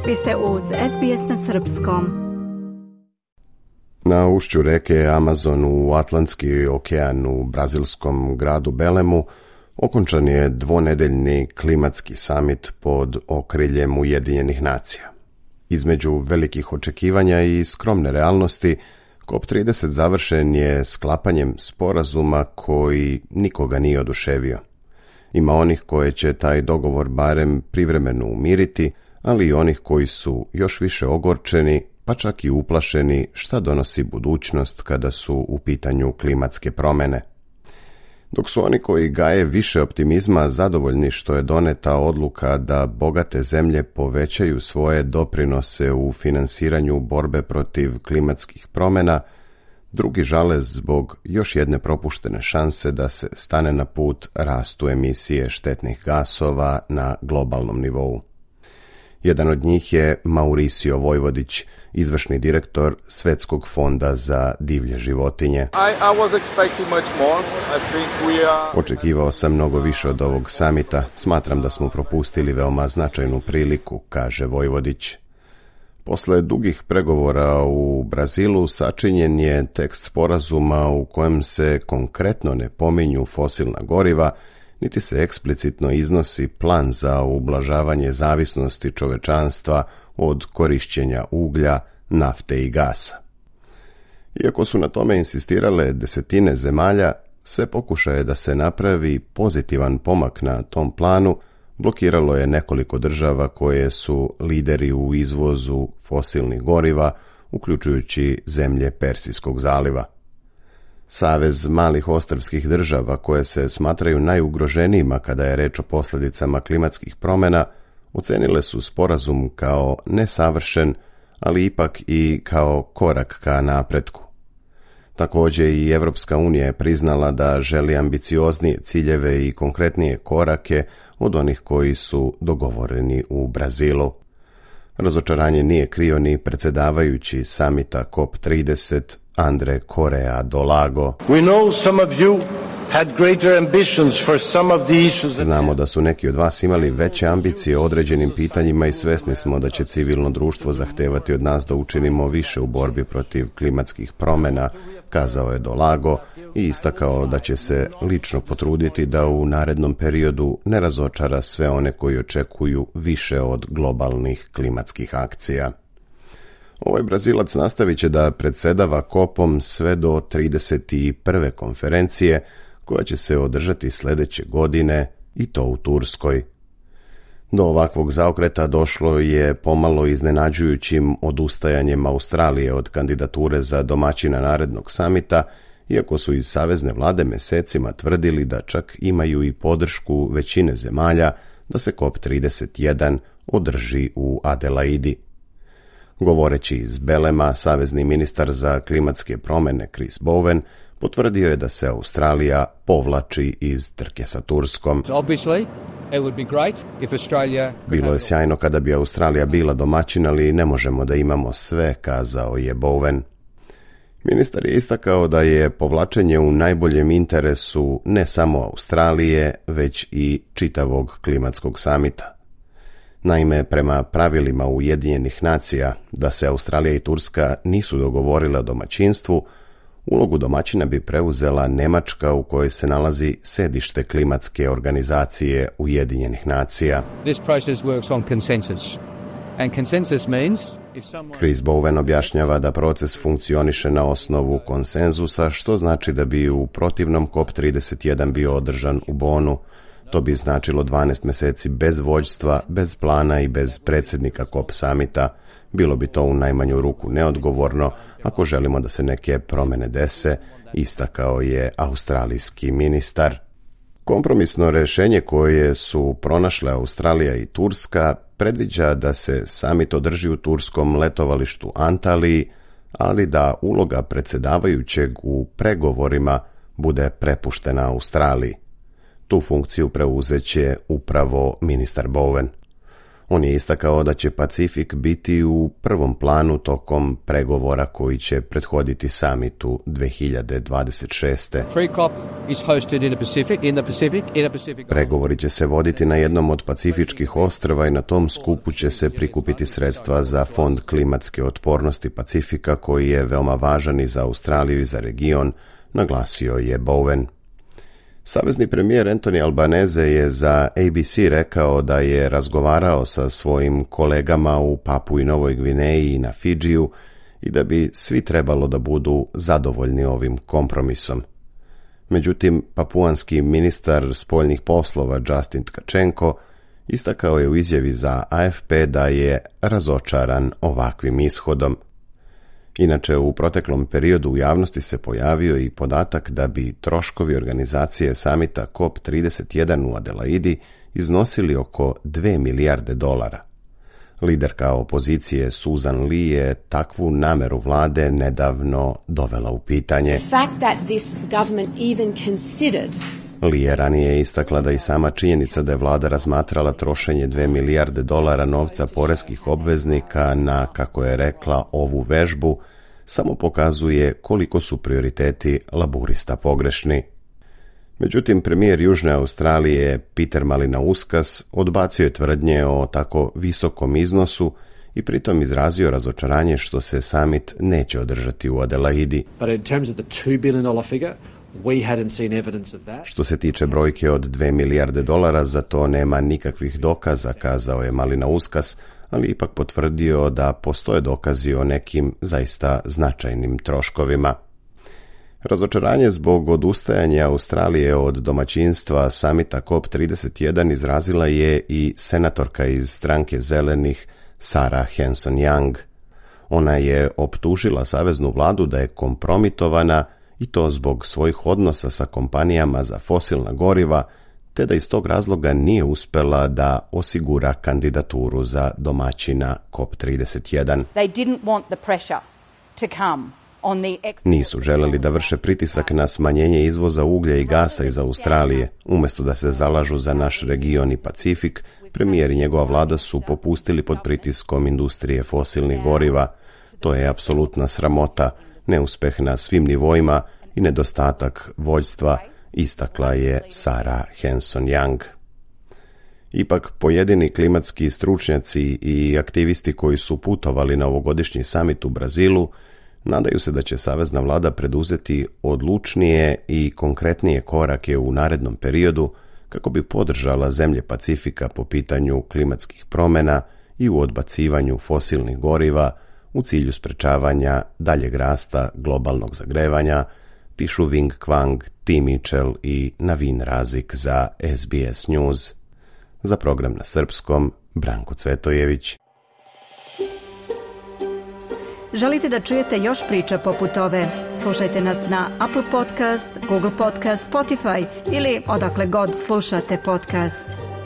Vi ste uz SBS na srpskom. Na ušću reke Amazon u Atlantski okean u brazilskom gradu Belemu okončan je dvonedeljni klimatski samit pod okriljem Ujedinjenih nacija. Između velikih očekivanja i skromne realnosti, COP30 završen je sklapanjem sporazuma koji nikoga nije oduševio. Ima onih koje će taj dogovor barem privremeno umiriti, ali i onih koji su još više ogorčeni, pa čak i uplašeni šta donosi budućnost kada su u pitanju klimatske promjene. Dok su oni koji gaje više optimizma zadovoljni što je doneta odluka da bogate zemlje povećaju svoje doprinose u finansiranju borbe protiv klimatskih promjena, drugi žale zbog još jedne propuštene šanse da se stane na put rastu emisije štetnih gasova na globalnom nivou. Jedan od njih je Mauricio Vojvodić, izvršni direktor Svetskog fonda za divlje životinje. Očekivao sam mnogo više od ovog samita. Smatram da smo propustili veoma značajnu priliku, kaže Vojvodić. Posle dugih pregovora u Brazilu sačinjen je tekst sporazuma u kojem se konkretno ne pominju fosilna goriva, niti se eksplicitno iznosi plan za ublažavanje zavisnosti čovečanstva od korišćenja uglja, nafte i gasa. Iako su na tome insistirale desetine zemalja, sve pokušaje da se napravi pozitivan pomak na tom planu blokiralo je nekoliko država koje su lideri u izvozu fosilnih goriva, uključujući zemlje Persijskog zaliva. Savez malih ostrvskih država koje se smatraju najugroženijima kada je reč o posljedicama klimatskih promjena, ocenile su sporazum kao nesavršen, ali ipak i kao korak ka napretku. Također i Evropska unija je priznala da želi ambicioznije ciljeve i konkretnije korake od onih koji su dogovoreni u Brazilu. Razočaranje nije krio ni predsjedavajući samita COP30 Andre Correa do Lago. Znamo da su neki od vas imali veće ambicije o određenim pitanjima i svesni smo da će civilno društvo zahtevati od nas da učinimo više u borbi protiv klimatskih promjena, kazao je do Lago i istakao da će se lično potruditi da u narednom periodu ne razočara sve one koji očekuju više od globalnih klimatskih akcija. Ovaj Brazilac nastavit će da predsjedava COP-om sve do 31. konferencije koja će se održati sljedeće godine i to u Turskoj. Do ovakvog zaokreta došlo je pomalo iznenađujućim odustajanjem Australije od kandidature za domaćina narednog samita, iako su iz savezne vlade mjesecima tvrdili da čak imaju i podršku većine zemalja da se COP31 održi u Adelaidi. Govoreći iz Belema, savezni ministar za klimatske promjene Chris Bowen potvrdio je da se Australija povlači iz trke sa Turskom. Bilo je sjajno kada bi Australija bila domaćin, ali ne možemo da imamo sve, kazao je Bowen. Ministar je istakao da je povlačenje u najboljem interesu ne samo Australije, već i čitavog klimatskog samita. Naime, prema pravilima Ujedinjenih nacija, da se Australija i Turska nisu dogovorile o domaćinstvu, ulogu domaćina bi preuzela Njemačka u kojoj se nalazi sedište klimatske organizacije Ujedinjenih nacija. Chris Bowen objašnjava da proces funkcioniše na osnovu konsenzusa, što znači da bi u protivnom COP31 bio održan u Bonu. To bi značilo 12 mjeseci bez vođstva, bez plana i bez predsjednika COP samita. Bilo bi to u najmanju ruku neodgovorno ako želimo da se neke promjene dese, istakao je australijski ministar. Kompromisno rješenje koje su pronašle Australija i Turska predviđa da se samit održi u turskom letovalištu Antaliji, ali da uloga predsjedavajućeg u pregovorima bude prepuštena Australiji. Tu funkciju preuzeće upravo ministar Bowen. On je istakao da će Pacifik biti u prvom planu tokom pregovora koji će prethoditi samitu 2026. Pregovori će se voditi na jednom od pacifičkih ostrva i na tom skupu će se prikupiti sredstva za Fond klimatske otpornosti Pacifika koji je veoma važan i za Australiju i za region, naglasio je Bowen. Savezni premijer Anthony Albanese je za ABC rekao da je razgovarao sa svojim kolegama u Papui Novoj Gvineji i na Fidžiju i da bi svi trebalo da budu zadovoljni ovim kompromisom. Međutim, papuanski ministar spoljnih poslova Justin Tkačenko istakao je u izjavi za AFP da je razočaran ovakvim ishodom. Inače, u proteklom periodu u javnosti se pojavio i podatak da bi troškovi organizacije samita COP31 u Adelaidi iznosili oko $2 milijarde. Liderka opozicije Susan Lee je takvu nameru vlade nedavno dovela u pitanje. Lee je ranije istakla da i sama činjenica da je vlada razmatrala trošenje $2 milijarde novca poreskih obveznika na, kako je rekla, ovu vežbu, samo pokazuje koliko su prioriteti laburista pogrešni. Međutim, premijer Južne Australije Peter Malinauskas odbacio je tvrdnje o tako visokom iznosu i pritom izrazio razočaranje što se summit neće održati u Adelaidi. Što se tiče brojke od $2 milijarde, za to nema nikakvih dokaza, kazao je Malinauskas, ali ipak potvrdio da postoje dokazi o nekim zaista značajnim troškovima. Razočaranje zbog odustajanja Australije od domaćinstva samita COP31 izrazila je i senatorka iz stranke Zelenih Sarah Hanson-Young. Ona je optužila saveznu vladu da je kompromitovana i to zbog svojih odnosa sa kompanijama za fosilna goriva, te da iz tog razloga nije uspela da osigura kandidaturu za domaćina COP31. Nisu želeli da vrše pritisak na smanjenje izvoza uglja i gasa iz Australije. Umjesto da se zalažu za naš region i Pacifik, premijer i njegova vlada su popustili pod pritiskom industrije fosilnih goriva. To je apsolutna sramota, neuspeh na svim nivoima i nedostatak vođstva, istakla je Sarah Hanson-Young. Ipak, pojedini klimatski stručnjaci i aktivisti koji su putovali na ovogodišnji samit u Brazilu nadaju se da će savezna vlada preduzeti odlučnije i konkretnije korake u narednom periodu kako bi podržala zemlje Pacifika po pitanju klimatskih promjena i u odbacivanju fosilnih goriva u cilju sprečavanja daljeg rasta globalnog zagrevanja, pišu Wing Kwang, Tim Mitchell i Navin Razik za SBS News. Za program na srpskom, Branko Cvetojević. Želite da čujete još priča poput ove? Slušajte nas na Apple Podcast, Google Podcast, Spotify ili odakle god slušate podcast.